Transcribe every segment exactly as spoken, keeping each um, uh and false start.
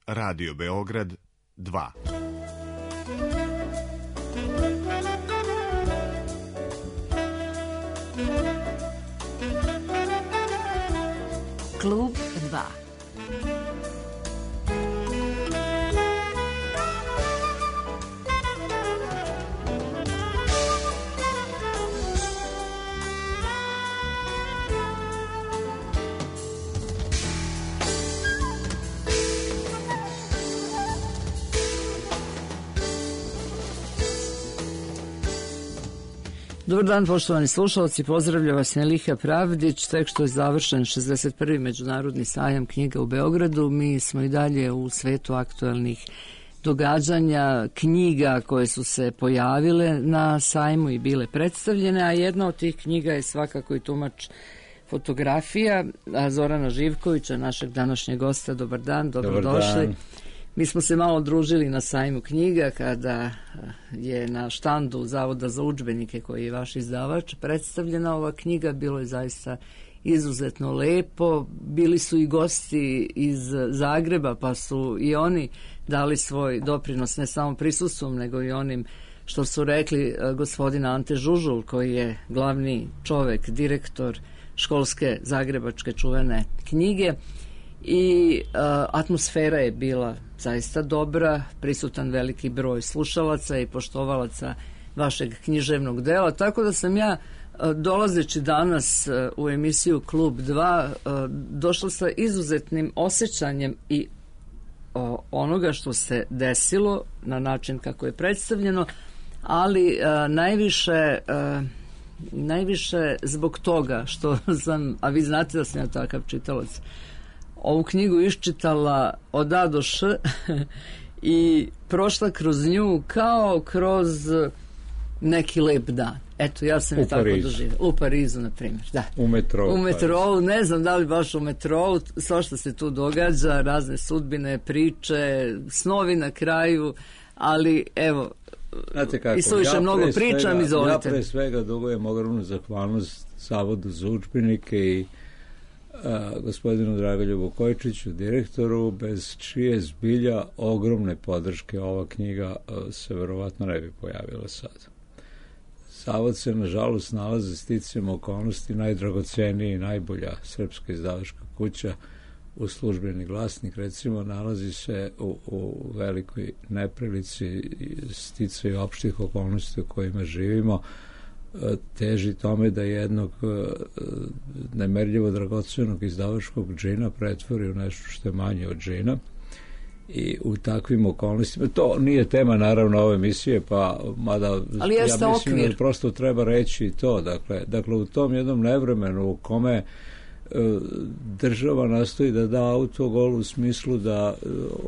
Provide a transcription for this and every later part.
Radio Beograd dva. Klub dva. Dobar dan, poštovani slušalci, pozdravlja vas Neliha Pravdić. Tek što je završen šezdeset prvi Međunarodni sajam knjiga u Beogradu, mi smo i dalje u svetu aktualnih događanja, knjiga koje su se pojavile na sajmu i bile predstavljene, a jedna od tih knjiga je svakako i tumač fotografija Zorana Živkovića, našeg današnjeg gosta. Dobar dan, dobrodošli. Dobar dan. Mi smo se malo družili na sajmu knjiga kada je na štandu Zavoda za udžbenike, koji je vaš izdavač, predstavljena ova knjiga. Bilo je zaista izuzetno lepo. Bili su i gosti iz Zagreba, pa su i oni dali svoj doprinos ne samo prisustvom, nego i onim što su rekli. Gospodina Ante Žužul, koji je glavni čovek, direktor školske zagrebačke čuvene knjige. I uh, atmosfera je bila zaista dobra, prisutan veliki broj slušalaca i poštovalaca vašeg književnog dela, tako da sam ja uh, dolazeći danas uh, u emisiju Klub dva uh, došla sa izuzetnim osjećanjem i uh, onoga što se desilo na način kako je predstavljeno, ali uh, najviše uh, najviše zbog toga što sam, a vi znate da sam ja takav čitalac, ovu knjigu iščitala od A do Š i prošla kroz nju kao kroz neki lep dan. Eto, ja sam je tako doživjela. U Parizu, na primjer, da. U metrou. U metrou, ne znam da li baš u metrou, sve što se tu događa, razne sudbine, priče, snovi na kraju, ali evo, znate kako, i suviše ja mnogo pričam, izvolite. Ja pre svega dugujem ogromnu zahvalnost Zavodu za udžbenike i A, gospodinu Dragoljubu Kojčiću, direktoru, bez čije zbilja ogromne podrške ova knjiga a, se verovatno ne bi pojavila sad. Zavod se nažalost nalazi sticajem okolnosti najdragoceniji i najbolja srpska izdavačka kuća u Službeni glasnik, recimo, nalazi se u, u velikoj neprilici sticaju opštih okolnosti u kojima živimo, teži tome da jednog nemerljivo dragocenog izdavačkog džina pretvori u nešto što je manje od džina. I u takvim okolnostima, to nije tema naravno ove emisije, pa mada ali ja mislim okvir. Da prosto treba reći to, dakle, dakle u tom jednom nevremenu u kome država nastoji da da autogol u smislu da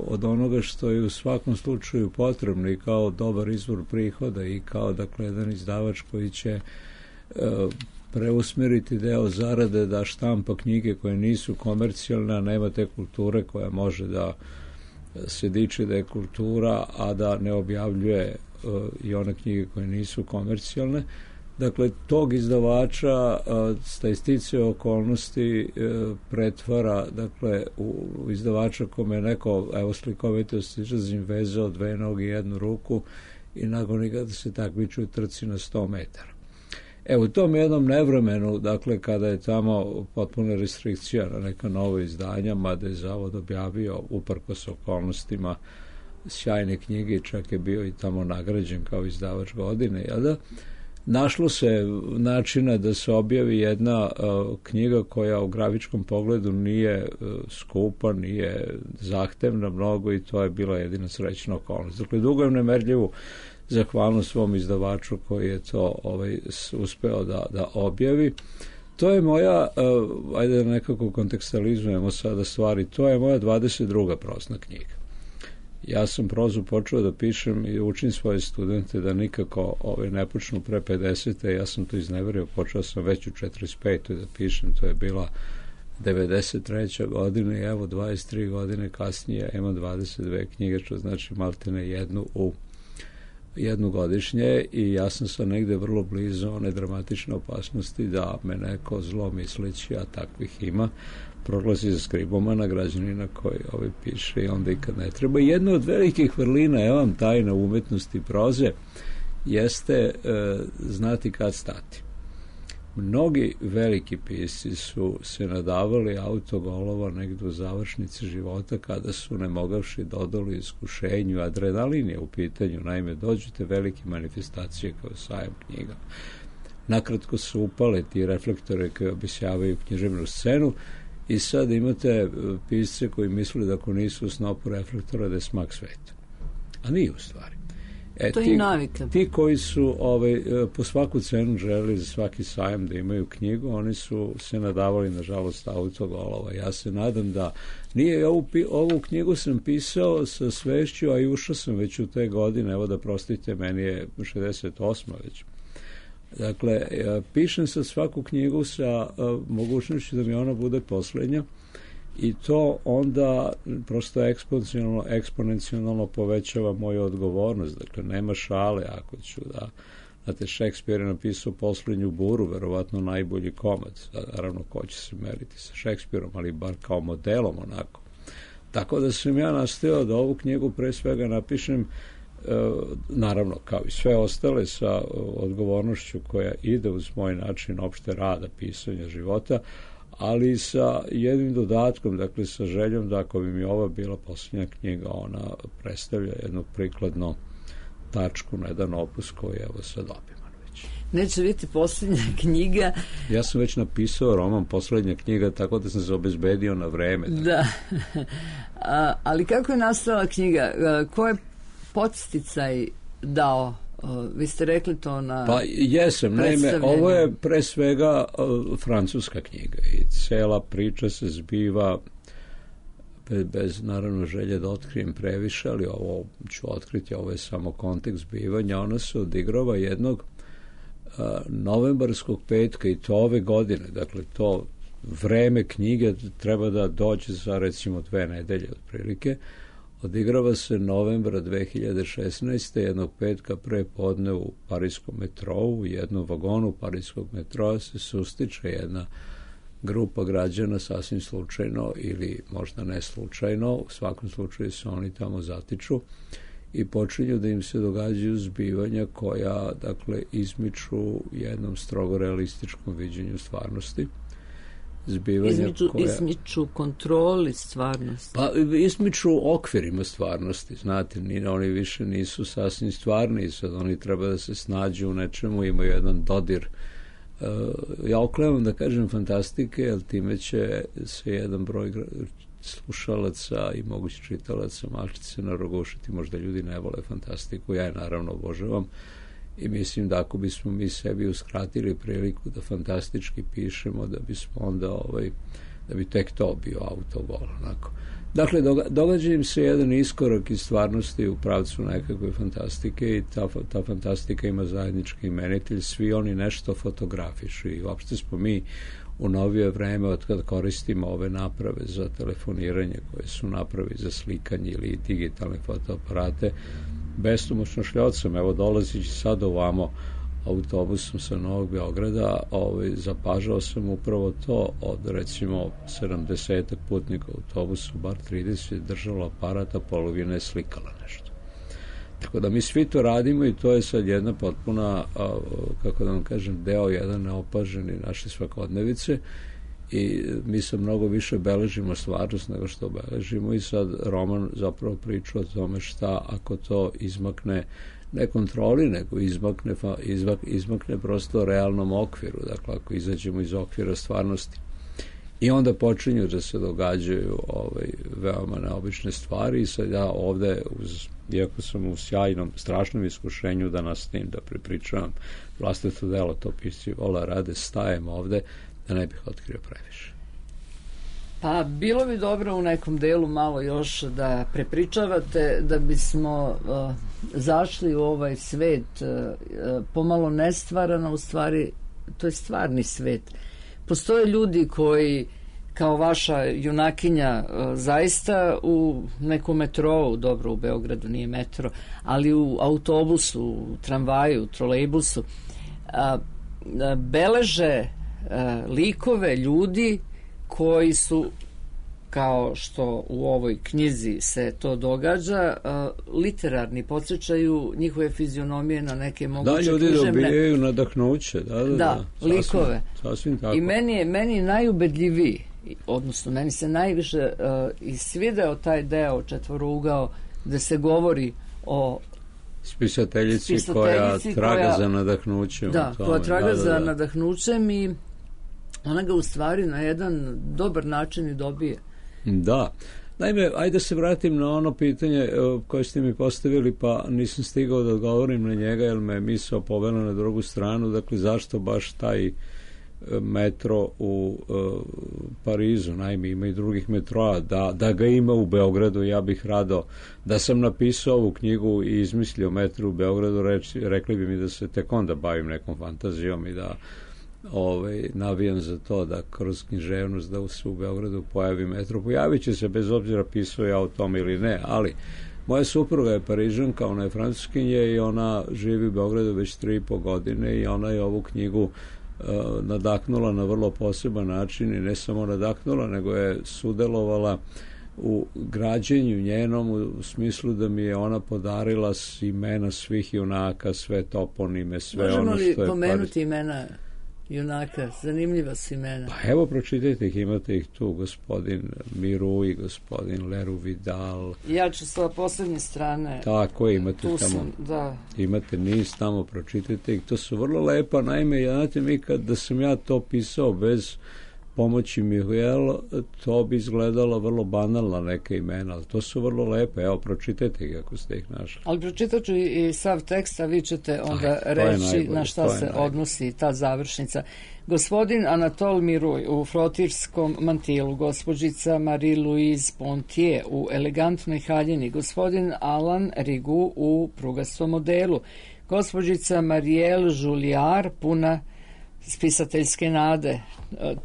od onoga što je u svakom slučaju potrebno i kao dobar izvor prihoda i kao, dakle, jedan izdavač koji će preusmeriti deo zarade da štampa knjige koje nisu komercijalne, a nema te kulture koja može da se diči da je kultura, a da ne objavljuje i one knjige koje nisu komercijalne. Dakle, tog izdavača sta istice okolnosti pretvara, dakle, u izdavača kome je neko, evo slikovitost izrazim, vezao dve noge i jednu ruku i nagoni ga da se takmiči u trci na sto metara. Evo, u tom jednom nevremenu, dakle, kada je tamo potpuna restrikcija na neka nova izdanja, mada je Zavod objavio, uprkos okolnostima, sjajne knjige, čak je bio i tamo nagrađen kao izdavač godine, jel da? Našlo se načina da se objavi jedna uh, knjiga koja u grafičkom pogledu nije uh, skupa, nije zahtevna mnogo i to je bila jedina srećna okolnost. Dakle, dugujem nemerljivu zahvalnost svom izdavaču koji je to ovaj, uspeo da, da objavi. To je moja, uh, ajde da nekako kontekstalizujemo sada stvari, to je moja dvadeset druga prosna knjiga. Ja sam prozu počeo da pišem i učim svoje studente da nikako ove ne počnu pre pedesete. Ja sam to izneverio, počeo sam već u četrdeset petoj da pišem, to je bila devedeset treća godina i evo dvadeset tri godine kasnije imam dvadeset dve knjige, što znači maltene jednu u jednu godišnje i ja sam sad negde vrlo blizu one dramatične opasnosti da me neko zlo misleći, a takvih ima, proglazi za skribomana, građanina koji ovaj piše i onda i kad ne treba. Jedna od velikih vrlina, evo vam tajna umetnosti proze, jeste e, znati kad stati. Mnogi veliki pisci su se nadavali autogolova negde u završnici života kada su ne mogavši dodali iskušenju. Adrenalin je u pitanju, naime dođete velike manifestacije kao sajam knjiga. Nakratko su upale ti reflektore koji obisjavaju književnu scenu i sad imate pisce koji misle da ako nisu u snopu reflektora da je smak sveta. A nije u stvari. E, to je ti, i navika. Ti koji su ovaj, po svaku cenu želeli za svaki sajam da imaju knjigu, oni su se nadavali, nažalost, autogolova. Ja se nadam da nije, ovu, ovu knjigu sam pisao sa svešću, a i ušao sam već u te godine, evo da prostite, meni je šezdeset osma već. Dakle, pišem sad svaku knjigu sa mogućnošću da mi ona bude poslednja, i to onda prosto eksponencijalno, eksponencijalno povećava moju odgovornost. Dakle, nema šale ako ću da... Znate, Šekspir je napisao Poslednju buru, verovatno najbolji komad. Naravno, ko će se meriti sa Šekspirom, ali bar kao modelom onako. Tako da sam ja nastojao da ovu knjigu pre svega napišem, e, naravno, kao i sve ostale, sa odgovornošću koja ide uz moj način opšte rada, pisanja života, ali sa jednim dodatkom, dakle sa željom da ako bi mi ova bila posljednja knjiga, ona predstavlja jednu prikladnu tačku na jedan opus koji je evo sad obiman već. Neće biti posljednja knjiga. Ja sam već napisao roman Posljednja knjiga, tako da sam se obezbedio na vreme. Da, A, ali kako je nastala knjiga? Ko je podsticaj dao? Vi ste rekli to na... Pa jesam, naime, ovo je pre svega uh, francuska knjiga i cela priča se zbiva bez, bez naravno želje da otkrijem previše, ali ovo ću otkriti, ovo je samo kontekst zbivanja. Ona se odigrava jednog uh, novembarskog petka i to ove godine, dakle to vreme knjige treba da dođe za recimo dve nedelje otprilike. Odigrava se novembra dve hiljade šesnaeste. jednog petka pre podne u parijskom metrou, u jednom vagonu parijskog metroa se sustiče jedna grupa građana sasvim slučajno ili možda ne slučajno, u svakom slučaju se oni tamo zatiču i počinju da im se događaju zbivanja koja, dakle, izmiču jednom strogo realističkom viđenju stvarnosti. Izmiču, koja... izmiču kontroli stvarnosti. Pa izmiču okvirima stvarnosti, znate, ni, oni više nisu sasvim stvarni, sad oni treba da se snađu u nečemu, imaju jedan dodir. Uh, ja oklevam da kažem fantastike, jer time će se jedan broj slušalaca i mogući čitalaca malčice narogušiti, možda ljudi ne vole fantastiku, ja je naravno obožavam. I mislim da ako bismo mi sebi uskratili priliku da fantastički pišemo, da bismo onda, ovaj, da bi tek to bio autogol, onako. Dakle, događa im se jedan iskorak iz stvarnosti u pravcu nekakve fantastike i ta, ta fantastika ima zajednički imenitelj, svi oni nešto fotografišu i uopšte smo mi u novije vreme, od kada koristimo ove naprave za telefoniranje, koje su napravi za slikanje ili digitalne fotoaparate, bestomoćno šljocam, evo dolazići sad ovamo autobusom sa Novog Beograda, ovaj, zapažao sam upravo to, od recimo sedamdesetak putnika u autobusu, bar trideset je držalo aparata, polovina je slikala nešto. Tako da mi svi to radimo i to je sad jedna potpuna, kako da vam kažem, deo jedan neopaženi naše svakodnevice i mi se mnogo više beležimo stvarnost nego što beležimo i sad roman zapravo priča o tome šta ako to izmakne ne kontroli, nego izmakne, izmak, izmakne prosto realnom okviru, dakle ako izađemo iz okvira stvarnosti. I onda počinju da se događaju ovaj, veoma neobične stvari i sad ja ovde, uz, iako sam u sjajnom, strašnom iskušenju da nastavim da prepričavam vlastito delo, to pisci vola rade, stajem ovde da ne bih otkrio previše. Pa bilo bi dobro u nekom delu malo još da prepričavate, da bismo uh, zašli u ovaj svet uh, pomalo nestvarano, u stvari to je stvarni svet. Postoje ljudi koji kao vaša junakinja zaista u nekom metrou, dobro u Beogradu nije metro, ali u autobusu, u tramvaju, u trolejbusu, a, a, beleže a, likove ljudi koji su, kao što u ovoj knjizi se to događa, uh, literarni, podsjećaju njihove fizionomije na neke moguće književne. Da, ljudi dobijaju nadahnuće. Da, da, da, da sasvim, likove. Sasvim tako. I meni je, meni je najubedljiviji, odnosno meni se najviše uh, isvideo taj deo četvorougao gde se govori o spisateljici, spisateljici koja traga koja, za nadahnućem. Da, tome. koja traga da, da, za da. nadahnućem i ona ga u stvari na jedan dobar način i dobije. Da. Naime, ajde da se vratim na ono pitanje koje ste mi postavili, pa nisam stigao da odgovorim na njega, jer me misao povela na drugu stranu. Dakle, zašto baš taj metro u uh, Parizu? Naime, ima i drugih metroa. Da, da ga ima u Beogradu, ja bih rado. Da sam napisao ovu knjigu i izmislio metro u Beogradu, reč, rekli bi mi da se tek onda bavim nekom fantazijom i da ovaj, navijam za to da kroz književnost da se u Beogradu pojavi metro. Pojavit će se bez obzira pisao ja o tom ili ne, ali moja supruga je Parižanka, ona je francuskinja i ona živi u Beogradu već tri i po godine i ona je ovu knjigu uh, nadahnula na vrlo poseban način i ne samo nadahnula, nego je sudelovala u građenju njenom, u smislu da mi je ona podarila imena svih junaka, sve toponime, sve Možemo ono što je... Možemo li pomenuti imena junaka? Zanimljiva su imena. Pa evo, pročitajte ih, imate ih tu, gospodin Miru i gospodin Leru Vidal. Ja ću sa poslednje strane. Tako je, imate tu tamo. Sam, da. Imate niz tamo, pročitajte ih. To su vrlo lepa, naime, znate mi kad da sam ja to pisao bez pomoći Mihuel, to bi izgledalo vrlo banalna neka imena, ali to su vrlo lepe. Evo, pročitajte ih ako ste ih našli. Ali pročitat ću i sav tekst, a vi ćete onda Aj, reći najbolje, na šta se najbolje. Odnosi ta završnica. Gospodin Anatole Miruj u frotirskom mantilu, gospođica Marie-Louise Pontier u elegantnoj haljini, gospodin Alan Rigu u prugastom modelu, gospođica Marielle Julliard puna spisateljske nade,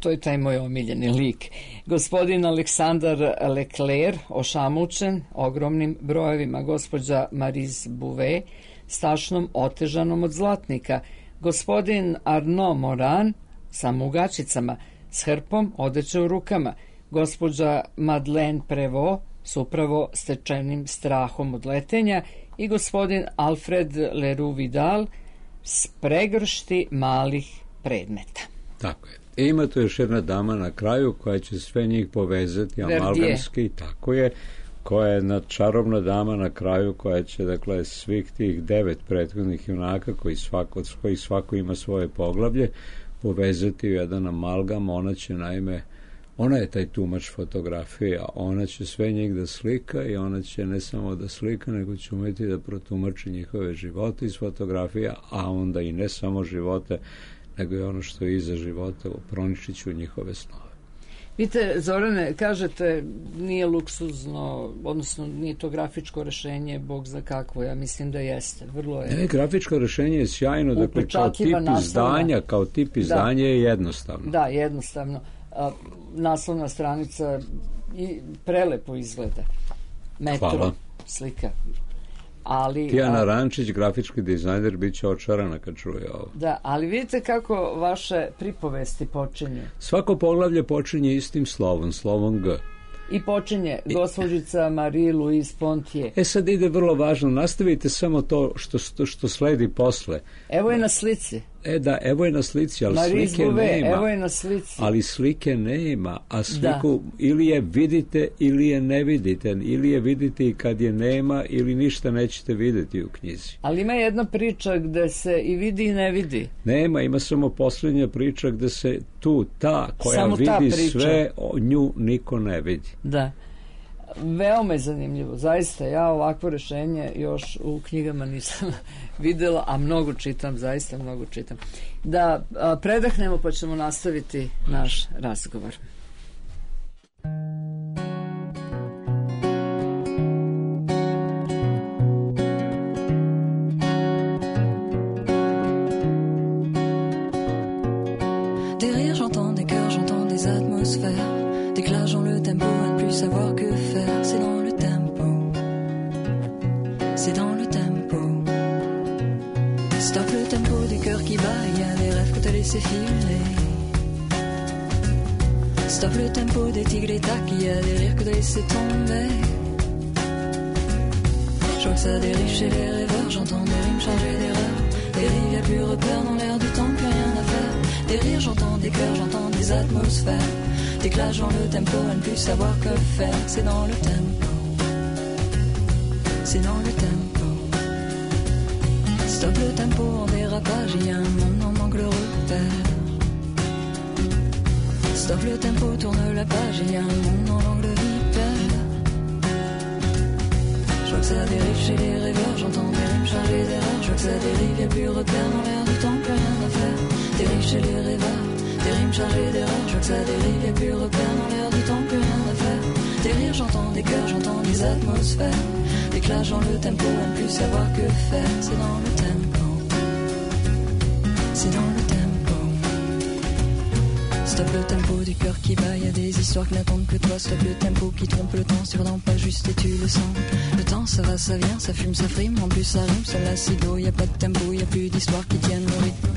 to je taj moj omiljeni lik. Gospodin Aleksandar Leclerc, ošamučen ogromnim brojevima, gospođa Marise Bouvet, stašnom otežanom od zlatnika, gospodin Arnaud Moran, sa mugačicama, s hrpom odeće u rukama, gospođa Madeleine Prévost, s upravo stečenim strahom od letenja i gospodin Alfred Leroux Vidal, s pregršti malih predmeta. Tako je. I ima tu još jedna dama na kraju koja će sve njih povezati amalgamski, tako je, koja je jedna čarobna dama na kraju koja će, dakle, svih tih devet prethodnih junaka koji svako, od kojih svako ima svoje poglavlje povezati u jedan amalgam. Ona će, naime, ona je taj tumač fotografije, a ona će sve njih da slika i ona će ne samo da slika, nego će umeti da protumači njihove živote iz fotografija, a onda i ne samo živote, nego je ono što je iza života, proničit ću njihove snove. Vidite, Zorane, kažete nije luksuzno, odnosno nije to grafičko rešenje, bog za kakvo, ja mislim da jeste. Vrlo je... Ne, grafičko rešenje je sjajno, dakle, kao tip izdanja, kao tip izdanja da. Je jednostavno. Da, jednostavno. A, naslovna stranica i prelepo izgleda. Metro, hvala. Slika. Ali, Tijana a, Rančić, grafički dizajner, bit će očarana kad čuje ovo. Da, ali vidite kako vaše pripovesti počinju. Svako poglavlje počinje istim slovom, slovom G. I počinje gospođica Marie-Louise Pontier. E sad ide vrlo važno, nastavite samo to što, što, što sledi posle. Evo je na slici. E da, evo je na slici, ali Marie slike Bouvet, nema. Evo je na slici. Ali slike nema, a sliku da. Ili je vidite ili je ne vidite, ili je vidite i kad je nema, ili ništa nećete videti u knjizi. Ali ima jedna priča gde se i vidi i ne vidi. Nema, ima samo posljednja priča gde se tu, ta koja samo vidi ta sve, o nju niko ne vidi. Da. Veoma je zanimljivo, zaista ja ovakvo rešenje još u knjigama nisam videla, a mnogo čitam, zaista mnogo čitam. Da a, predahnemo pa ćemo nastaviti naš razgovor. Des rires, j'entends des cœurs, j'entends des atmosphères. c'est dans le tempo. Stop le tempo du cœur qui bat, il y a des rêves que t'as laissé filer. Stop le tempo des tigres et tacs, il y a des rires que t'as laissé tomber. Je vois que ça dérive chez les rêveurs, j'entends des rimes chargées d'erreurs. Des rives, y'a plus repère dans l'air du temps, plus rien à faire. Des rires, j'entends des cœurs, j'entends des atmosphères. Des clashs dans le tempo, à ne plus savoir que faire. C'est dans le tempo, c'est dans le tempo. Stop le tempo en dérapage, il y a un monde, on manque le repère. Stop le tempo, tourne la page, il y a un monde en langue de vipère. Je vois que ça dérive chez les rêveurs, j'entends des rimes chargées d'erreurs. Je vois que ça dérive, y'a plus repère dans l'air du temps, plus rien à faire. Dérive chez les rêveurs, des rimes chargées d'erreurs. Je vois que ça dérive, y'a plus repère dans l'air du temps, plus rien à faire. Des rires, j'entends des cœurs, j'entends des atmosphères. Des clashs dans le tempo, à ne plus savoir que faire. C'est dans le tempo, c'est dans le tempo. Stop le tempo du cœur qui bat, y a des histoires qui n'attendent que toi. Stop le tempo qui trompe le temps, sur dans pas juste et tu le sens. Le temps ça va, ça vient, ça fume, ça frime, en plus ça rime, ça l'acido. Y a pas de tempo, y a plus d'histoires qui tiennent le rythme.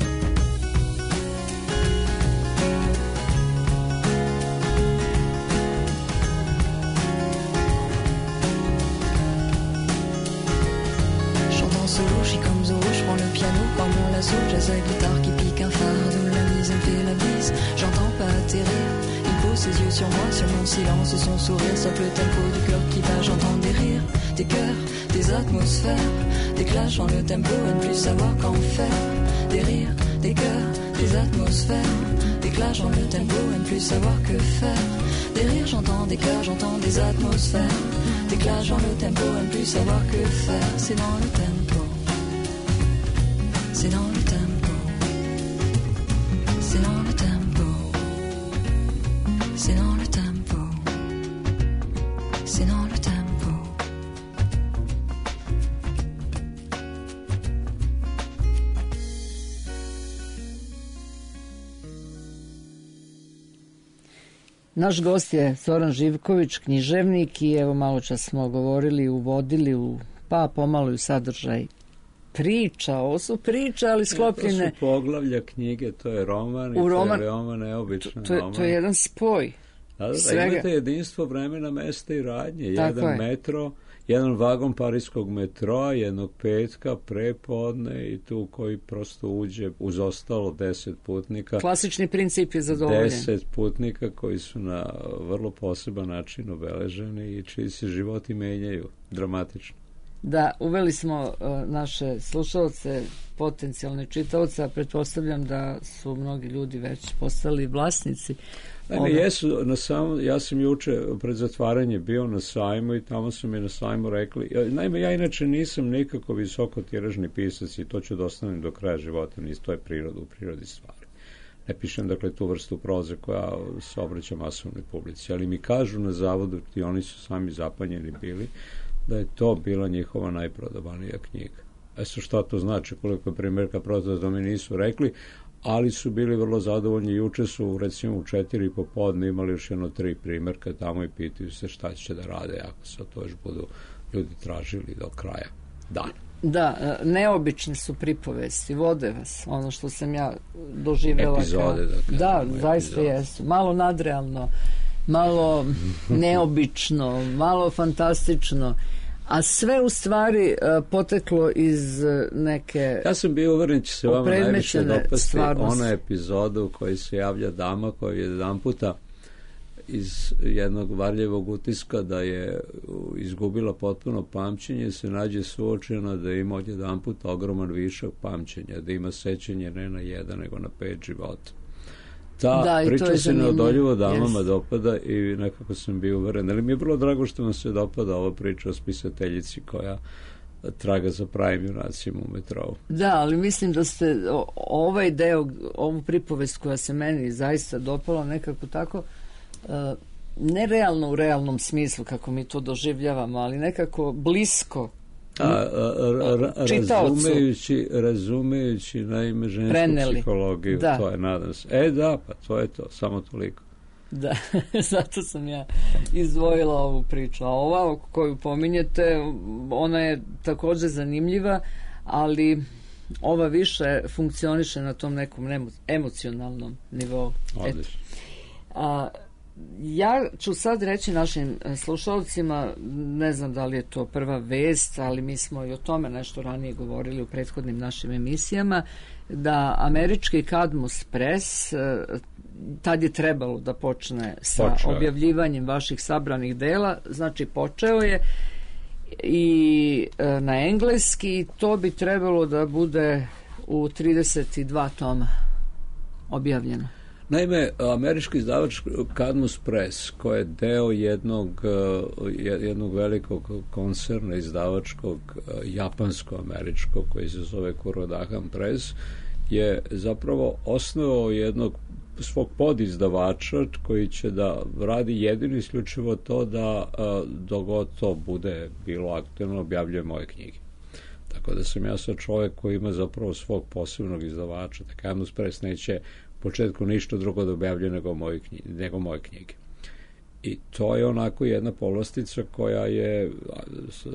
Solo, je suis comme Zorro, je prends le piano par mon lasso, jazz à guitare qui pique un fardeau, la mise elle me fait la bise, j'entends pas atterrir, il pose ses yeux sur moi, sur mon silence, son sourire, sauf le tempo du cœur qui bat, j'entends des rires, des cœurs, des atmosphères, des clashs dans le tempo, à ne plus savoir qu'en faire, des rires, des cœurs, des atmosphères, des clashs dans le tempo, à ne plus savoir que faire, des rires, j'entends des cœurs, j'entends des atmosphères, des clashs dans le tempo, à ne plus savoir que faire, c'est dans le tempo. C'est dans le tempo, c'est dans le tempo, c'est dans le tempo, c'est dans le tempo. Naš gost je Zoran Živković, književnik, i evo malo čas smo govorili, uvodili u, pa pomalo u sadržaj priča, ovo su priče, ali sklopljene. Ja, to su poglavlja knjige, to je roman i roman, to je veoma neobičan to, to, roman. To je jedan spoj. Da, da, da, imate jedinstvo vremena, mesta i radnje. Tako jedan je. metro, jedan vagon parijskog metroa, jednog petka, prepodne i tu koji prosto uđe uz ostalo deset putnika. Klasični princip je zadovoljen. Deset putnika koji su na vrlo poseban način obeleženi i čiji se životi menjaju dramatično. Da, uveli smo uh, naše slušalce, potencijalne čitaoce, a pretpostavljam da su mnogi ljudi već postali vlasnici. Naime, jesu, na sam, ja sam juče pred zatvaranje bio na sajmu i tamo su mi na sajmu rekli, naime, ja inače nisam nikako visoko tiražni pisac i to ću da ostanem do kraja života, nis, to je priroda u prirodi stvari. Ne pišem, dakle, tu vrstu proze koja se obraća masovnoj publici, ali mi kažu na zavodu, i oni su sami zapanjeni bili, da je to bila njihova najprodavanija knjiga. E sad šta to znači, koliko je primjerka prodata, da mi nisu rekli, ali su bili vrlo zadovoljni. Juče su, recimo, u četiri popodne imali još jedno tri primjerka tamo i pitaju se šta će da rade ako se to još budu ljudi tražili do kraja dana. Da, neobične su pripovesti, vode vas, ono što sam ja doživjela. Epizode, dakle. Da, zaista jesu. Malo nadrealno, malo neobično, malo fantastično, a sve u stvari uh, poteklo iz neke... Ja sam bio uveren će se vama najviše dopasti stvarnosti. ona epizoda u kojoj se javlja dama koja je jedan puta iz jednog varljevog utiska da je izgubila potpuno pamćenje, se nađe suočena da ima od jedan puta ogroman višak pamćenja, da ima sećanje ne na jedan nego na pet života. Ta da, priča se neodoljivo damama yes. dopada i nekako sam bio uveren. Ali mi je vrlo drago što vam se dopada ova priča o spisateljici koja traga za pravim junacima u metrovu. Da, ali mislim da ste ovaj deo, ovu pripovest koja se meni zaista dopala nekako tako, uh, nerealno u realnom smislu kako mi to doživljavamo, ali nekako blisko A, a, a, a, razumejući, razumejući naime žensku preneli. Psihologiju, da. To je, nadam se. E da, pa to je to, samo toliko. Da, zato sam ja izdvojila ovu priču. A ova koju pominjete, ona je također zanimljiva, ali ova više funkcioniše na tom nekom emocionalnom nivou. Odlično. A, ja ću sad reći našim slušalcima, ne znam da li je to prva vest, ali mi smo i o tome nešto ranije govorili u prethodnim našim emisijama, da američki Cadmus Press, tad je trebalo da počne sa Počeo. objavljivanjem vaših sabranih dela, znači počeo je i e, na engleski, to bi trebalo da bude u trideset dva toma objavljeno. Naime, američki izdavač Cadmus Press, koji je deo jednog, jednog velikog koncerna izdavačkog japansko-američkog, koji se zove Kurodahan Press, je zapravo osnovao jednog svog podizdavača koji će da radi jedino isključivo to da dogod to bude bilo aktualno objavljuje moje knjige. Tako da sam ja sad čovjek koji ima zapravo svog posebnog izdavača. Cadmus Press neće u početku ništa drugo da objavljuje nego moje knjige, nego moje knjige. I to je onako jedna povlastica koja je,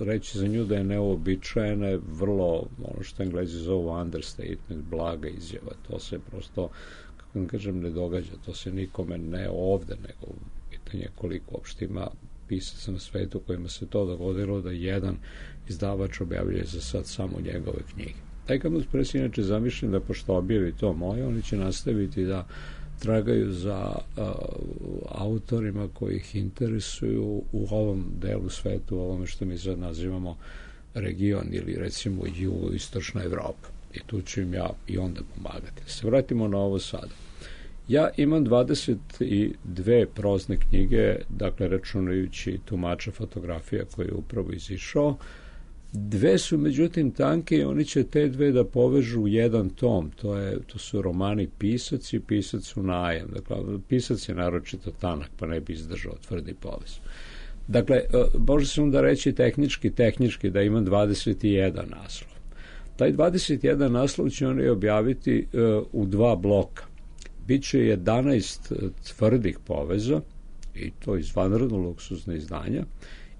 reći za nju da je neobičajena, je vrlo, ono što Englezi zovu understatement, blaga izjava. To se prosto, kako vam kažem, ne događa. To se nikome ne ovde, nego pitanje koliko uopšte ima pisaca na svetu kojima se to dogodilo da jedan izdavač objavljuje za sad samo njegove knjige. Taj Cadmus Press inače zamišljen da pošto objavi to moje, oni će nastaviti da tragaju za uh, autorima koji ih interesuju u ovom delu svetu, u ovome što mi sad nazivamo region ili recimo jugoistočna Evropa. I tu ću im ja i onda pomagati. Se vratimo na ovo sada. Ja imam dvadeset dve prozne knjige, dakle računajući tumača fotografija koji je upravo izišao. Dve su međutim tanke i oni će te dve da povežu u jedan tom. To, je, to su romani Pisac i Pisac u najam. Dakle, Pisac je naročito tanak, pa ne bi izdržao tvrdi povez. Dakle, može se onda reći tehnički, tehnički da imam dvadeset jedan naslov. Taj dvadeset jedan naslov će oni objaviti uh, u dva bloka. Biće jedanaest tvrdih poveza, i to iz vanredno luksuzne izdanja,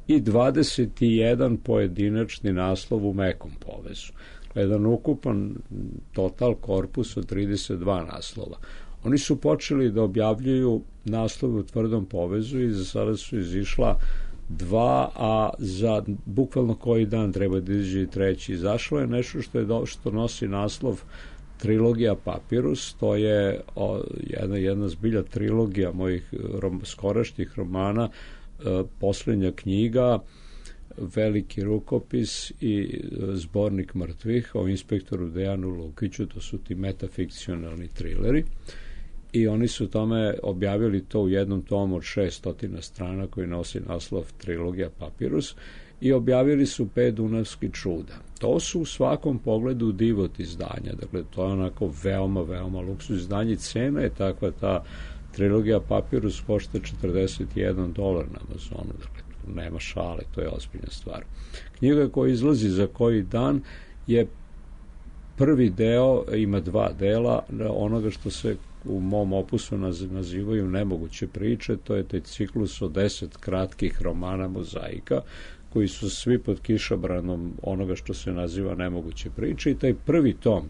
i dvadeset jedan pojedinačni naslov u mekom povezu. Jedan ukupan total korpus od trideset dva naslova. Oni su počeli da objavljuju naslove u tvrdom povezu i za sada su izišla dva, a za bukvalno koji dan treba da izađe i treći. Izašlo je nešto što, je do, što nosi naslov Trilogija Papirus, to je o, jedna, jedna zbilja trilogija mojih rom, skorašnjih romana, e, posljednja knjiga, veliki rukopis i zbornik mrtvih o inspektoru Dejanu Lukiću, to su ti metafikcionalni trileri. I oni su tome objavili to u jednom tomu od šessto strana koji nosi naslov Trilogija Papirus i objavili su pet dunavskih čuda. To su u svakom pogledu divot izdanja, dakle to je onako veoma, veoma luksuz izdanje. Cena je takva, ta Trilogija Papirus košta četrdeset jedan dolar na Amazonu, dakle tu nema šale, to je ozbiljna stvar. Knjiga koja izlazi za koji dan je prvi deo, ima dva dela onoga što se u mom opusu nazivaju nemoguće priče, to je taj ciklus od deset kratkih romana mozaika, koji su svi pod kišobranom onoga što se naziva nemoguće priče, i taj prvi tom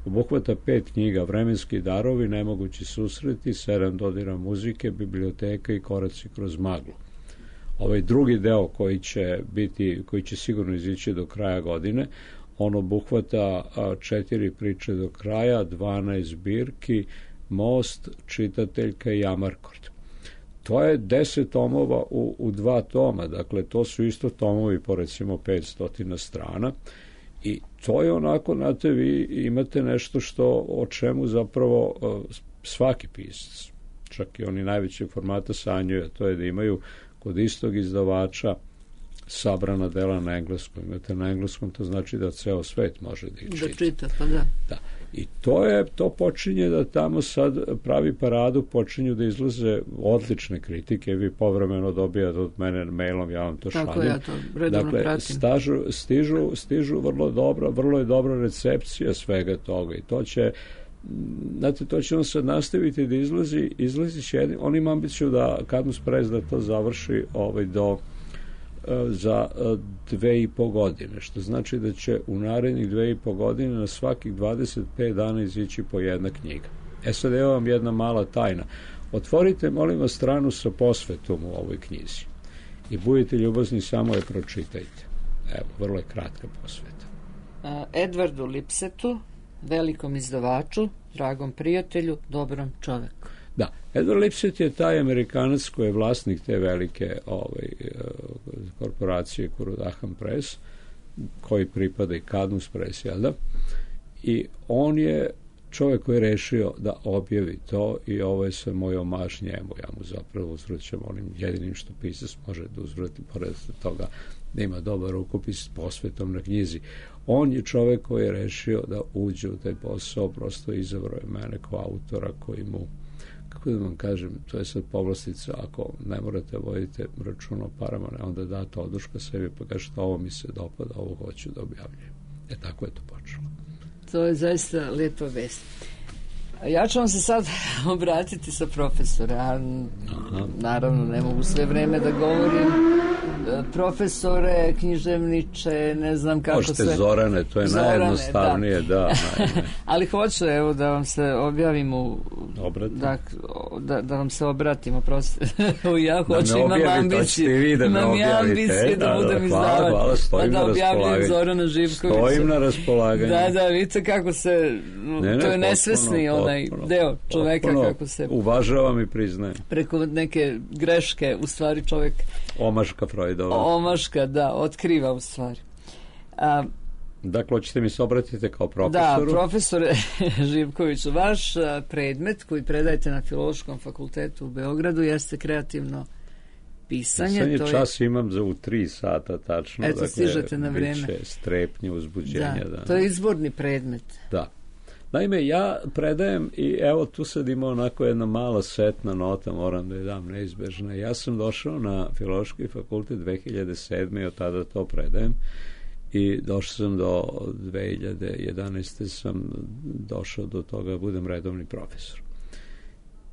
obuhvata pet knjiga: Vremenski darovi, Nemogući susreti, Sedam dodira muzike, Biblioteka i Koraci kroz maglu. Ovaj drugi deo koji će biti, koji će sigurno izići do kraja godine, on obuhvata četiri priče do kraja, dvanaest zbirki, Most, Čitateljka i Amarkord. To je deset tomova u, u dva toma, dakle to su isto tomovi po recimo petsto strana, i to je onako, znate, vi imate nešto što, o čemu zapravo uh, svaki pisac, čak i oni najvećeg formata sanjaju, to je da imaju kod istog izdavača sabrana dela na engleskom. Imate na engleskom, to znači da ceo svet može da ih čita. Da čita, pa da. Da. I to je, to počinje da tamo sad pravi paradu, počinju da izlaze odlične kritike, vi povremeno dobijate od mene mailom, ja vam to šaljem. Tako ja to redovno dakle, pratim. Stažu, stižu, stižu vrlo dobro, vrlo je dobra recepcija svega toga i to će znate, to će on sad nastaviti da izlazi, izlazi će jedin, on ima ambiciju da Cadmus Press da to završi ovaj, do za dve i po godine, što znači da će u narednih dve i po godine na svakih dvadeset pet dana izići po jedna knjiga. E sad, evo vam jedna mala tajna. Otvorite, molim vas, stranu sa posvetom u ovoj knjizi i budite ljubazni, samo je pročitajte. Evo, vrlo je kratka posveta. Edvardu Lipsetu, velikom izdavaču, dragom prijatelju, dobrom čoveku. Da, Edward Lipset je taj Amerikanac koji je vlasnik te velike ovaj, korporacije Kurodaham Press, koji pripada i Cadmus Press, jel da? I on je čovjek koji je rešio da objavi to i ovo je sve moj omaž njemu. Ja mu zapravo uzvraćam onim jedinim što pisac može da uzvrati, pored toga da ima dobar rukopis s posvetom na knjizi. On je čovjek koji je rešio da uđe u taj posao, prosto izabrao je mene kao autora koji mu, kako da vam kažem, to je sad povlastica, ako ne morate vodite račun o parama, ne, onda date oduška sebi pa kažete ovo mi se dopada, ovo hoću da objavljujem. E tako je to počelo. To je zaista lijepa vest. Ja ću vam se sad obratiti sa profesora, a naravno ne mogu sve vreme da govorim. Profesore, književniče, ne znam kako Možete se... Možete Zorane, to je Zorane, najjednostavnije, da. da Ali hoću, evo, da vam se objavim u... Da, da, da vam se obratimo, prosto. Ja hoću, da imam ambiciju. Da imam ja ambicije da, da budem izdavač. Pa da objavljam Zorana Živkovića. Stojim na raspolaganju. Da, da, vidite kako se... Ne, ne, to je nesvesni potpuno, onaj potpuno, deo čoveka potpuno, kako se... Uvažavam i priznajem. Preko neke greške, u stvari čovek... Omaška Freudova. Omaška, da, otkriva u stvari. A, dakle, hoćete mi se obratiti kao profesoru? Da, profesore Živkoviću, vaš predmet koji predajete na Filološkom fakultetu u Beogradu jeste kreativno pisanje. Pisanje to čas je... imam za u tri sata tačno. Eto, dakle, stižete na vreme. Biće strepnje, uzbuđenja. Da, da, to je izborni predmet. Da. Naime, ja predajem i evo tu sad ima onako jedna mala setna nota, moram da je dam neizbežna. Ja sam došao na Filološki fakultet dve hiljade sedme i od tada to predajem i došao sam do dve hiljade jedanaeste sam došao do toga da budem redovni profesor.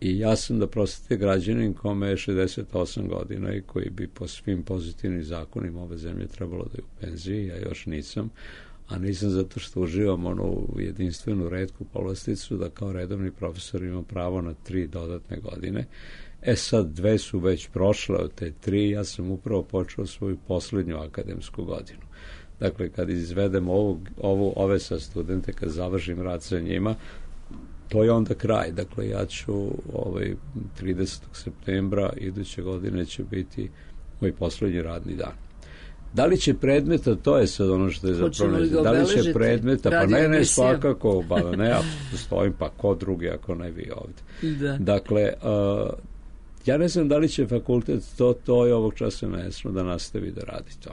I ja sam, da prostite, građanin kome je šezdeset osam godina i koji bi po svim pozitivnim zakonima ove zemlje trebalo da je u penziji, ja još nisam, a nisam zato što uživam onu jedinstvenu retku povlasticu da kao redovni profesor imam pravo na tri dodatne godine. E sad, dve su već prošle od te tri, ja sam upravo počeo svoju poslednju akademsku godinu. Dakle, kad izvedem ovu, ovu, ove sa studente, kad završim rad sa njima, to je onda kraj. Dakle, ja ću ovaj, tridesetog septembra iduće godine će biti moj poslednji radni dan. Da li će predmeta, to je sad ono što je zapravo, da li će predmeta, pa ne, ne, svakako, ba ne, ako stojim, pa ko drugi, ako ne vi ovde. Da. Dakle, uh, ja ne znam da li će fakultet, to, to je ovog časa nesno da nastavi da radi to.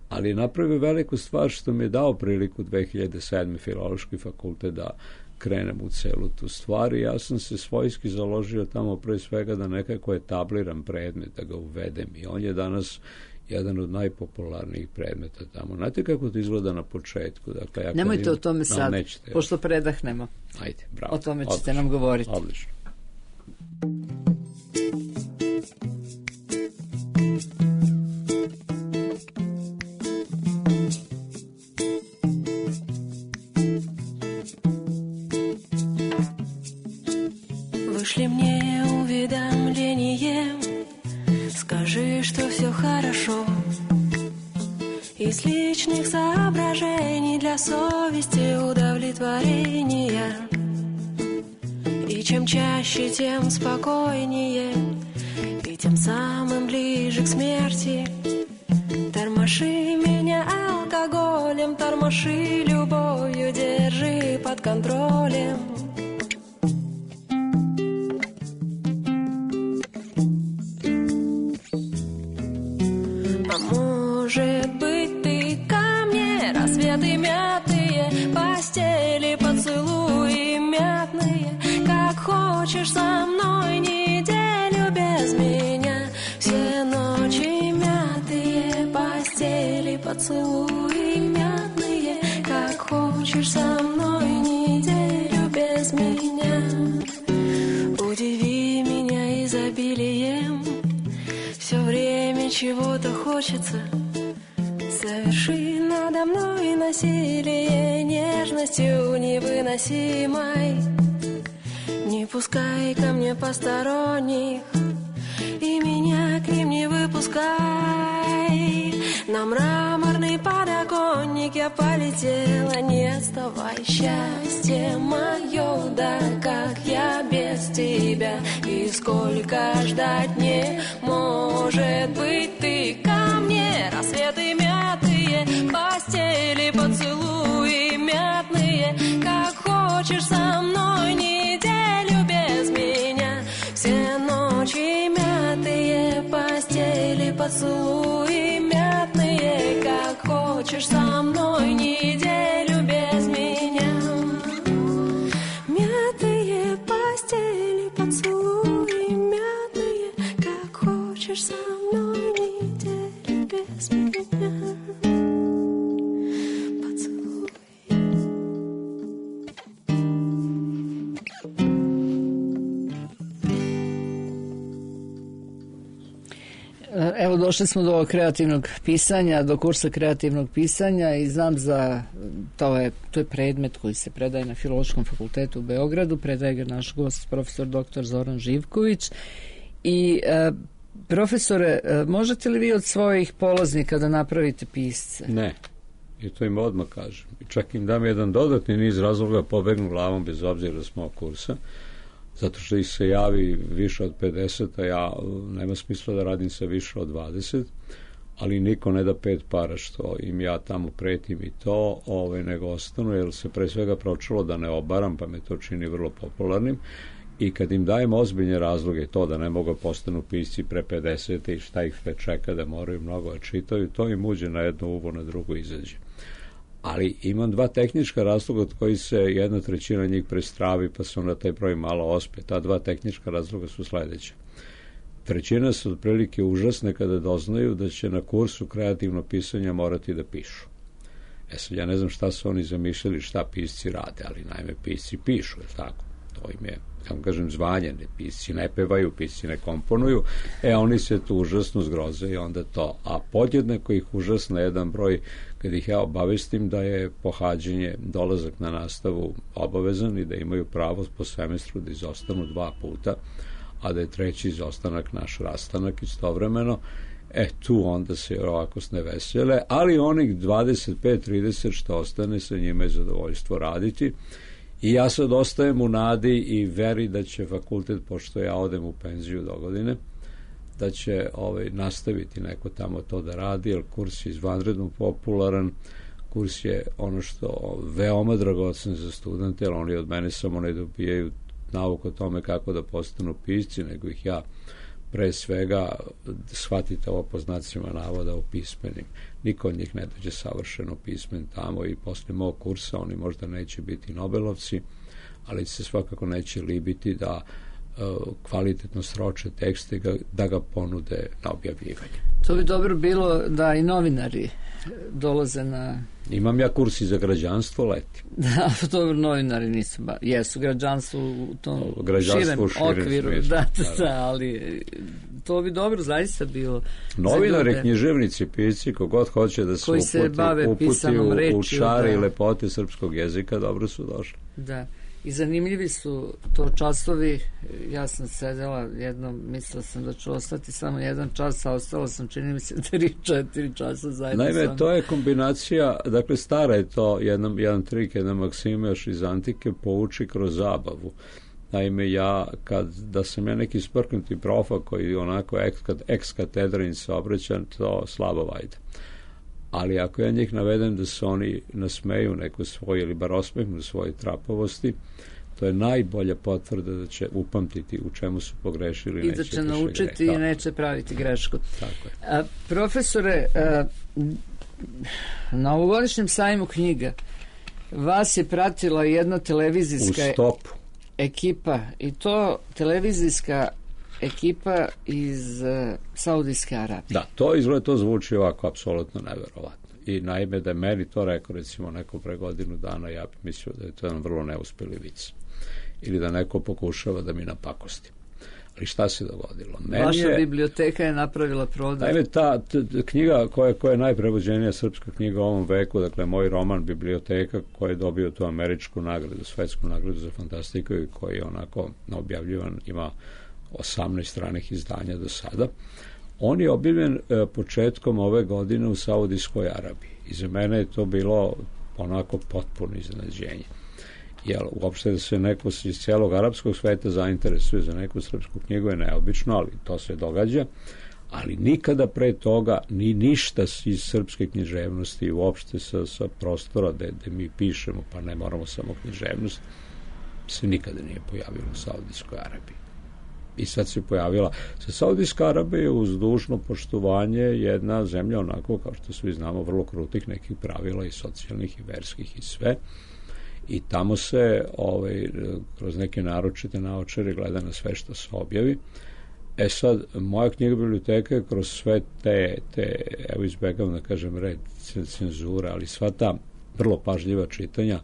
Ali je napravio veliku stvar što mi je dao priliku dve hiljade sedme Filološki fakultet da krenem u celu tu stvar i ja sam se svojski založio tamo pre svega da nekako etabliram predmet, da ga uvedem i on je danas jedan od najpopularnijih predmeta tamo. Znate kako to izgleda na početku? Dakle, ja nemojte im... o tome sad, no, pošto predahnemo. Ajde, bravo. O tome ćete odlično, nam govoriti. Odlično. Вышли мне уведомление, скажи, что все хорошо. Из личных соображений для совести удовлетворения. И чем чаще, тем спокойнее, и тем самым ближе к смерти. Тормоши меня алкоголем, тормоши любовью, держи под контролем. Может быть, ты ко мне, рассветы мятые, постели, поцелуи мятные. Как хочешь со мной неделю без меня. Все ночи мятые, постели, поцелуи мятные. Как хочешь со мной неделю без меня. хочется. Соверши надо мной насилие нежностью невыносимой. Не пускай ко мне посторонних, и меня к ним не выпускай. На мраморный подоконник я полетела, не отставай, счастье мое, да как я без тебя, и сколько ждать не может быть ты ко мне. Рассветы мятые, постели, поцелуи мятные, как хочешь со мной неделю без меня. Все ночи мятые, постели, поцелуи мятные, как хочешь со мной неделю без меня. Мятые постели, поцелуи мятные, как хочешь со мной неделю без меня. Поцелуй. Evo, došli smo do kreativnog pisanja, do kursa kreativnog pisanja i znam za, to je, to je predmet koji se predaje na Filološkom fakultetu u Beogradu, predaje ga naš gost, profesor doktor Zoran Živković. I e, profesore, e, možete li vi od svojih polaznika da napravite pisce? Ne, i to im odmah kažem. I čak im dam jedan dodatni niz razloga, pobegnu glavom bez obzira s mog kursa, zato što ih se javi više od pedeset, a ja nema smisla da radim sa više od dvadeset, ali niko ne da pet para što im ja tamo pretim i to, ovaj, nego ostanu, jer se pre svega pročulo da ne obaram, pa me to čini vrlo popularnim. I kad im dajem ozbiljne razloge, to da ne mogu postanu pisci pre pedeset i šta ih sve čeka, da moraju mnogo da čitaju, to im uđe na jedno uvo, na drugo izađe. Ali imam dva tehnička razloga od koji se jedna trećina njih prestravi, pa se onda taj broj malo ospe. Ta dva tehnička razloga su sledeće. Trećina su otprilike užasne kada doznaju da će na kursu kreativno pisanja morati da pišu. E sad, ja ne znam šta su oni zamišljali, šta pisci rade, ali naime pisci pišu, je tako? To im je, kako kažem, zvanje, ne, pisci ne pevaju, pisci ne komponuju, e oni se tu užasno zgroze i onda to. A podjednako ih užasno jedan broj, kad ih ja obavestim da je pohađanje, dolazak na nastavu obavezan i da imaju pravo po semestru da izostanu dva puta, a da je treći izostanak naš rastanak istovremeno, e tu onda se ovako ne vesele, ali onih dvadeset pet trideset što ostane, sa njima je zadovoljstvo raditi. I ja sad ostajem u nadi i veri da će fakultet, pošto ja odem u penziju do godine, da će ovaj, nastaviti neko tamo to da radi, jer kurs je izvanredno popularan, kurs je ono što veoma dragocen za studente, jer oni od mene samo ne dobijaju nauku o tome kako da postanu pisci, nego ih ja pre svega, shvatite ovo po znacima navoda, o pismenim. Niko od njih ne dođe savršeno pismen tamo i posle mog kursa oni možda neće biti Nobelovci, ali se svakako neće libiti da uh, kvalitetno sroče tekste, da ga ponude na objavljivanje. To bi dobro bilo da i novinari dolaze na... Imam ja kurs i za građanstvo leti. Da, dobro, novinari nisu ba... jesu građanstvo u tom širem, u širem okviru, smislu, da, da, da, ali to bi dobro zaista bilo. Novinari, književnici, pisci, kogod hoće da se koji uputi, se bave uputi u, rečju, u čari da. I lepote srpskog jezika, dobro su došli. Da. I zanimljivi su to časovi. Ja sam sedela jednom, mislila sam da ću ostati samo jedan čas, a ostala sam, čini mi se, tri, četiri časa zajedno. Naime, sam. to je kombinacija, dakle, stara je to, jedan, jedan trik, jedna maksima još iz antike, pouči kroz zabavu. Naime, ja, kad, da sam ja neki sprknuti profa koji onako ex katedrin se obraća, to slabo vajde. Ali ako ja njih navedem da se oni nasmeju neko svoje ili bar osmehnu svoje trapavosti, to je najbolja potvrda da će upamtiti u čemu su pogrešili. I da će naučiti i neće praviti grešku. Tako je. A, profesore, a, na ovogodišnjem sajmu knjiga vas je pratila jedna televizijska u stopu ekipa, i to televizijska ekipa iz uh, Saudijske Arabije. Da, to izgleda, to zvuči ovako apsolutno neverovatno. I naime da je meni to rekao recimo neko pre godinu dana, ja bih mislio da je to jedan vrlo neuspeli vic. Ili da neko pokušava da mi napakosti. Ali šta se dogodilo? Meni Vaša je, biblioteka je napravila prodor. Naime, ta t, t, knjiga koja, koja je najprevođenija srpska knjiga u ovom veku, dakle, moj roman Biblioteka, koji je dobio tu američku nagradu, svetsku nagradu za fantastiku i koji je onako objavljivan, ima osamnaest stranih izdanja do sada. On je objavljen e, početkom ove godine u Saudijskoj Arabiji. I za mene je to bilo onako potpuno iznenađenje. Jer uopšte da se neko iz cijelog arapskog sveta zainteresuje za neku srpsku knjigu je neobično, ali to se događa. Ali nikada pre toga ni ništa iz srpske književnosti uopšte sa, sa prostora gde, gde mi pišemo, pa ne moramo samo književnost, se nikada nije pojavilo u Saudijskoj Arabiji. I sad se pojavila. Sa Saudijska Arabija je uz dužno poštovanje jedna zemlja onako, kao što svi znamo, vrlo krutih nekih pravila i socijalnih i verskih i sve. I tamo se ovaj, kroz neke naročite naočare gleda na sve što se objavi. E sad, moja knjiga Biblioteka je kroz sve te, te evo izbegavam da kažem red cenzura, ali sva ta vrlo pažljiva čitanja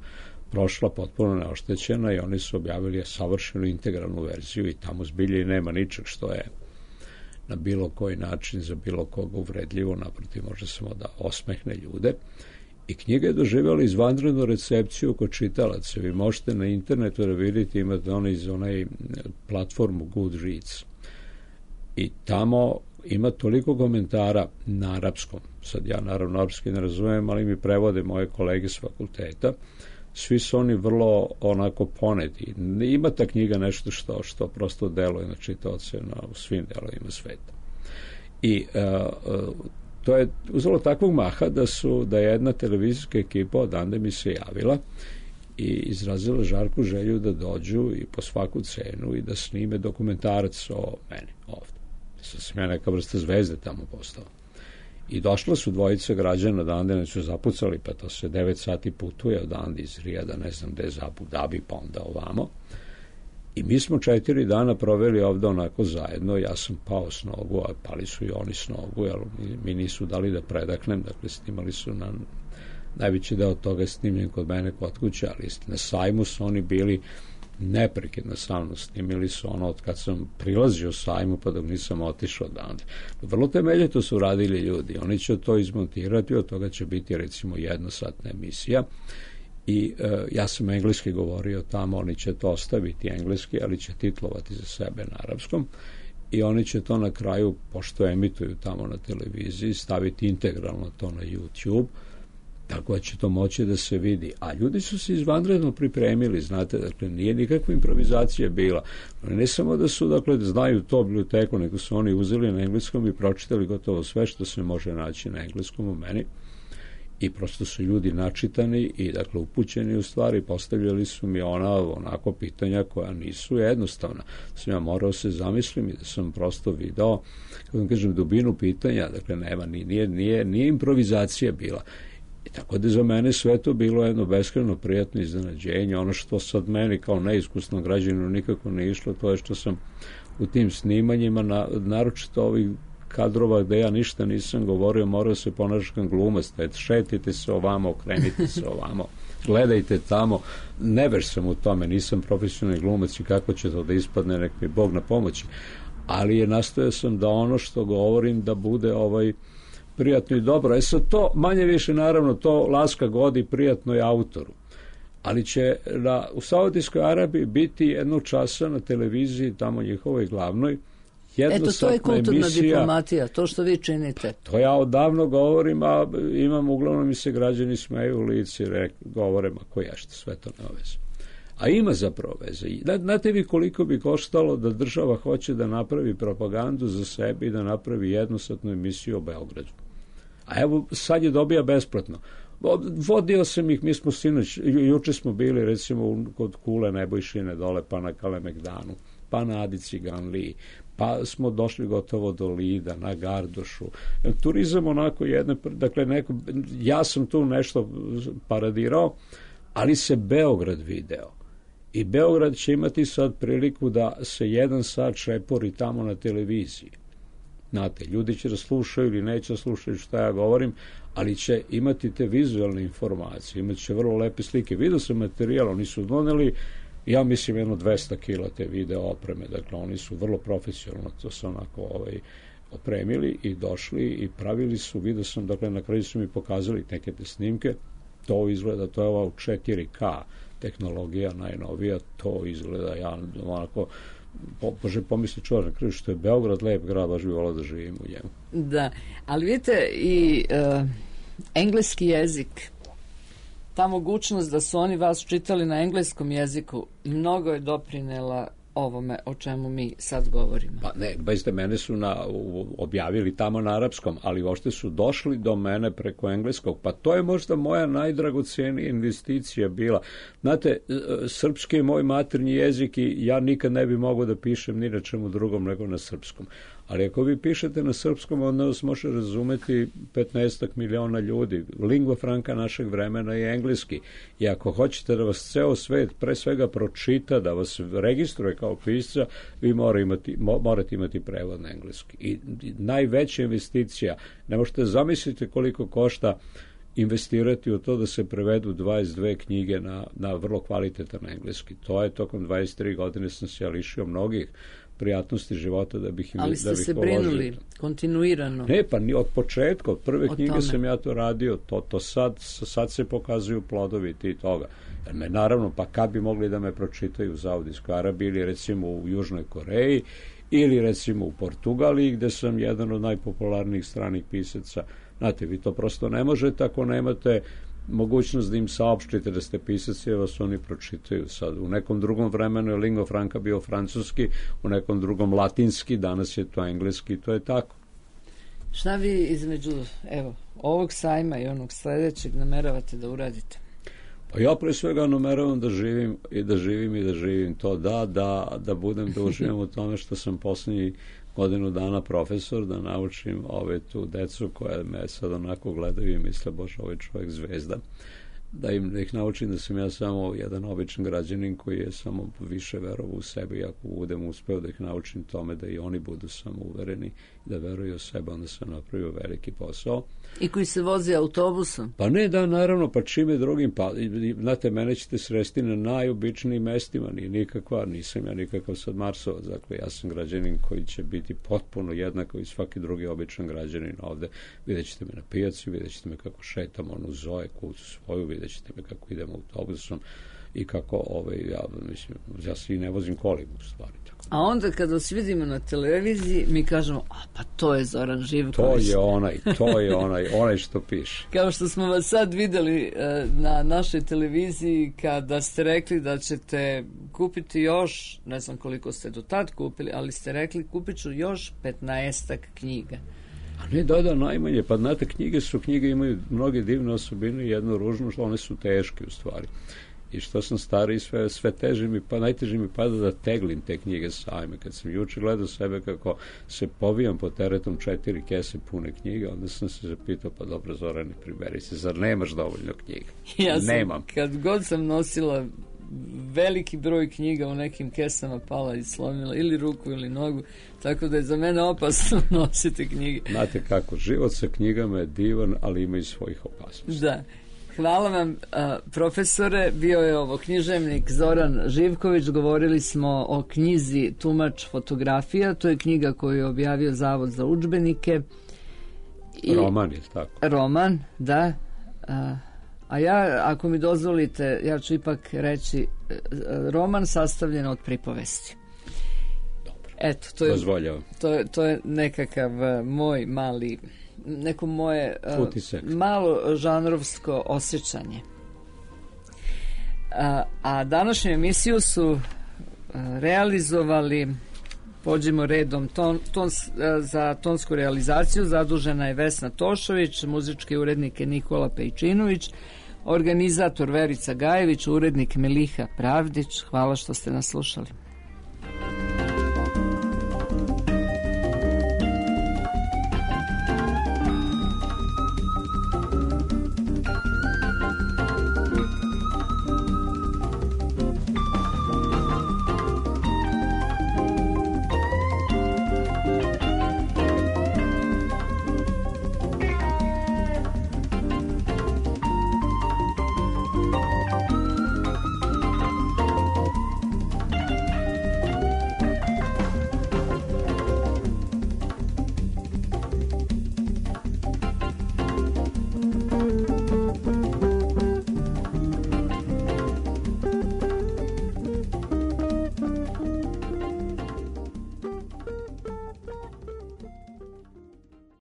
prošla potpuno neoštećena i oni su objavili savršenu integralnu verziju i tamo zbilje i nema ničeg što je na bilo koji način za bilo koga uvredljivo, naprotiv može samo da osmehne ljude. I knjiga je doživjela izvanrednu recepciju kod čitalaca. Vi možete na internetu da vidite, imate onaj iz onaj platformu Goodreads. I tamo ima toliko komentara na arapskom. Sad ja naravno arapski ne razumijem, ali mi prevode moje kolege s fakulteta. Svi su oni vrlo onako poneti. Ima ta knjiga nešto što, što prosto deluje na čitaoce na u svim delovima sveta. I uh, uh, to je uzelo takvog maha da su da je jedna televizijska ekipa odande mi se javila i izrazila žarku želju da dođu i po svaku cenu i da snime dokumentarac o meni ovde. Sad sam ja neka vrsta zvezde tamo postao. I došla su dvojica građana odande, ne su zapucali, pa to se devet sati putuje odande iz Rijada, ne znam gde, za Abu Dhabi, pa onda ovamo. I mi smo četiri dana proveli ovde onako zajedno, ja sam pao s nogu, a pali su i oni s nogu, jer mi nisu dali da predaknem, dakle snimali su na najveći deo toga snimljen kod mene kod kuće, ali na sajmu su oni bili neprekidno sa mnom, snimili su ono od kad sam prilazio sajmu pa dok nisam otišao odande. Vrlo temeljito su radili ljudi, oni će to izmontirati, od toga će biti recimo jednosatna emisija. I e, ja sam engleski govorio tamo, oni će to ostaviti engleski, ali će titlovati za sebe na arapskom i oni će to na kraju, pošto emituju tamo na televiziji, staviti integralno to na YouTube, tako da će to moći da se vidi. A ljudi su se izvanredno pripremili, znate, dakle, nije nikakva improvizacija bila. Ne samo da su, dakle, da znaju to biblioteku, nego su oni uzeli na engleskom i pročitali gotovo sve što se može naći na engleskom u meni. I prosto su ljudi načitani i dakle upućeni u stvari, postavljali su mi ona onako pitanja koja nisu jednostavna. Sam ja morao se zamislim i da sam prosto video, kako vam kažem, dubinu pitanja, dakle nema, nije, nije, nije improvizacija bila. I tako da za mene sve to bilo jedno beskrajno prijatno iznenađenje. Ono što sad meni kao neiskusno građaninu nikako ne išlo, to je što sam u tim snimanjima, na, naročito ovih kadrova gde ja ništa nisam govorio, morao se ponašati kao glumac, šetite se ovamo, okrenite se ovamo, gledajte tamo, ne veš sam u tome, nisam profesionalni glumac i kako će to da ispadne, nek mi Bog na pomoći, ali je nastojao sam da ono što govorim da bude ovaj prijatno i dobro. E sad to, manje više naravno, to laska godi prijatno i autoru, ali će na, u Saudijskoj Arabiji biti jednog časa na televiziji, tamo njihovoj glavnoj, eto, to je kulturna emisija, diplomatija, to što vi činite. To ja odavno govorim, a imam, uglavnom mi se građani smeju u lici, rek, govore, ma ko ješta, sve to ne veze. A ima zapravo veze. Znate vi koliko bi koštalo da država hoće da napravi propagandu za sebe i da napravi jednosatnu emisiju o Beogradu. A evo, sad je dobija besplatno. Vodio sam ih, mi smo sinoć, juče smo bili recimo kod Kule Nebojšine dole, pa na Kalemegdanu, pa na Adi Ciganliji, pa smo došli gotovo do Lida, na Gardošu. Turizam onako jedne, dakle neko, ja sam tu nešto paradirao, ali se Beograd video. I Beograd će imati sad priliku da se jedan sat šepori tamo na televiziji. Znate, ljudi će da slušaju ili neće da slušaju šta ja govorim, ali će imati te vizualne informacije, imat će vrlo lepe slike. Vidio sam materijal, oni su doneli Ja mislim jedno dvesta kila te video opreme, dakle oni su vrlo profesionalno to su onako ovaj, opremili i došli i pravili su, vidio sam, dakle na kraju su mi pokazali neke te snimke, to izgleda, to je ova u četiri ka tehnologija najnovija, to izgleda, ja onako, po, može pomisli čovjek na kraju što je Beograd lep grad, baš bi volao da živim u njemu. Da, ali vidite i uh, engleski jezik, ta mogućnost da su oni vas čitali na engleskom jeziku mnogo je doprinela ovome o čemu mi sad govorimo. Pa ne, bezde mene su na, u, objavili tamo na arapskom, ali uopšte su došli do mene preko engleskog. Pa to je možda moja najdragocijenija investicija bila. Znate, srpski je moj maternji jezik i ja nikad ne bi mogao da pišem ni na čemu drugom nego na srpskom. Ali ako vi pišete na srpskom, onda vas može razumeti petnaestak miliona ljudi. Lingua franca našeg vremena je engleski. I ako hoćete da vas ceo svet pre svega pročita, da vas registruje kao pisca, vi mora imati, mo, morate imati prevod na engleski. I, i najveća investicija, ne možete zamisliti koliko košta investirati u to da se prevedu dvadeset dve knjige na, na vrlo kvalitetan engleski. To je tokom dvadeset tri godine sam se ja lišio mnogih prijatnosti života da bih im Ali ste da bih se položio. brinuli kontinuirano. Ne, pa ni od početka, od prve od knjige tome. sam ja to radio, to, to sad, sad se pokazuju plodovi ti toga. Jer me, naravno, pa kad bi mogli da me pročitaju u Saudijskoj Arabiji ili recimo u Južnoj Koreji ili recimo u Portugaliji gde sam jedan od najpopularnijih stranih pisaca. Znate, vi to prosto ne možete ako nemate mogućnost da im saopštite da ste pisac i da vas oni pročitaju. Sad, u nekom drugom vremenu je lingua franca bio francuski, u nekom drugom latinski, danas je to engleski, to je tako. Šta vi između, evo, ovog sajma i onog sledećeg nameravate da uradite? Pa ja pre svega nameravam da živim i da živim i da živim to da, da, da budem, da uživam u tome što sam poslednji godinu dana profesor, da naučim ove tu decu koja me sad onako gledaju i misle, bože, ovaj čovjek zvezda, da im da ih naučim da sam ja samo jedan običan građanin koji je samo više verovao u sebe i ako budem uspeo da ih naučim tome da i oni budu samo uvereni i da veruju u sebe, onda sam napravio veliki posao. I koji se vozi autobusom? Pa ne, da, naravno, pa čime drugim, pa, znate, mene ćete sresti na najobičnijim mestima, nije nikakva, nisam ja nikakav sad Marsovac, dakle, ja sam građanin koji će biti potpuno jednako i svaki drugi običan građanin ovde. Vidjet ćete me na pijaci, vidjet ćete me kako šetam onu Zoe kucu svoju, vidjet ćete me kako idem autobusom i kako, ovaj, ja, mislim, ja se i ne vozim kolima u stvari. A onda kad vas vidimo na televiziji, mi kažemo, a pa to je Zoran Živković. To je onaj, to je onaj, onaj što piše. Kao što smo vas sad videli e, na našoj televiziji kada ste rekli da ćete kupiti još, ne znam koliko ste do tad kupili, ali ste rekli kupit ću još petnaestak knjiga. A ne, da, da, najmanje. Pa znate, knjige su, knjige imaju mnoge divne osobine i jednu ružnu, što one su teške u stvari. I što sam stariji, sve, sve teže mi, pa najteže mi pada da teglim te knjige sajme. Kad sam juče gledao sebe kako se povijam po teretom četiri kese pune knjige, onda sam se zapitao, pa dobro, Zorane, priberi se, zar nemaš dovoljno knjiga? Ja sam, Nemam. Kad god sam nosila veliki broj knjiga u nekim kesama pala i slomila ili ruku ili nogu, tako da je za mene opasno nositi knjige. Znate kako, život sa knjigama je divan, ali ima i svojih opasnosti. Da. Hvala vam, a, profesore. Bio je ovo književnik Zoran Živković. Govorili smo o knjizi Tumač fotografija. To je knjiga koju je objavio Zavod za udžbenike. I roman je tako. Roman, da. A, a ja, ako mi dozvolite, ja ću ipak reći roman sastavljen od pripovesti. Dobro. Eto, to je, Dozvoljavam. to je, to je nekakav moj mali... neko moje uh, malo žanrovsko osjećanje. A, a današnju emisiju su uh, realizovali, pođimo redom, ton, ton, uh, za tonsku realizaciju zadužena je Vesna Tošović, muzički urednik je Nikola Pejčinović, organizator Verica Gajević, urednik Miliha Pravdić. Hvala što ste nas slušali.